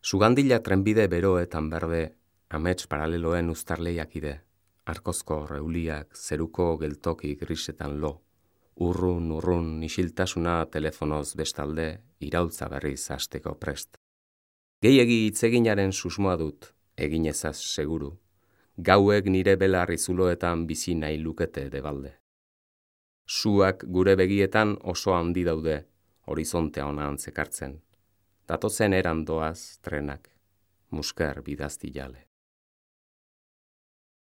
Sugandila trenbide beroetan berde, amets paraleloen uztarleiakide, arkozko reuliak, zeruko geltoki grisetan lo, urrun isiltasuna telefonoz bestalde, iraultza berriz hasteko prest. Gehiegi hitzeginaren susmoa dut, egin ezaz seguru, gauek nire belarri zuloetan bizi nahi lukete debalde. Suak gure begietan oso handi daude, horizontea ona antzekartzen. Datozen eran doaz trenak, musker bidazti jale.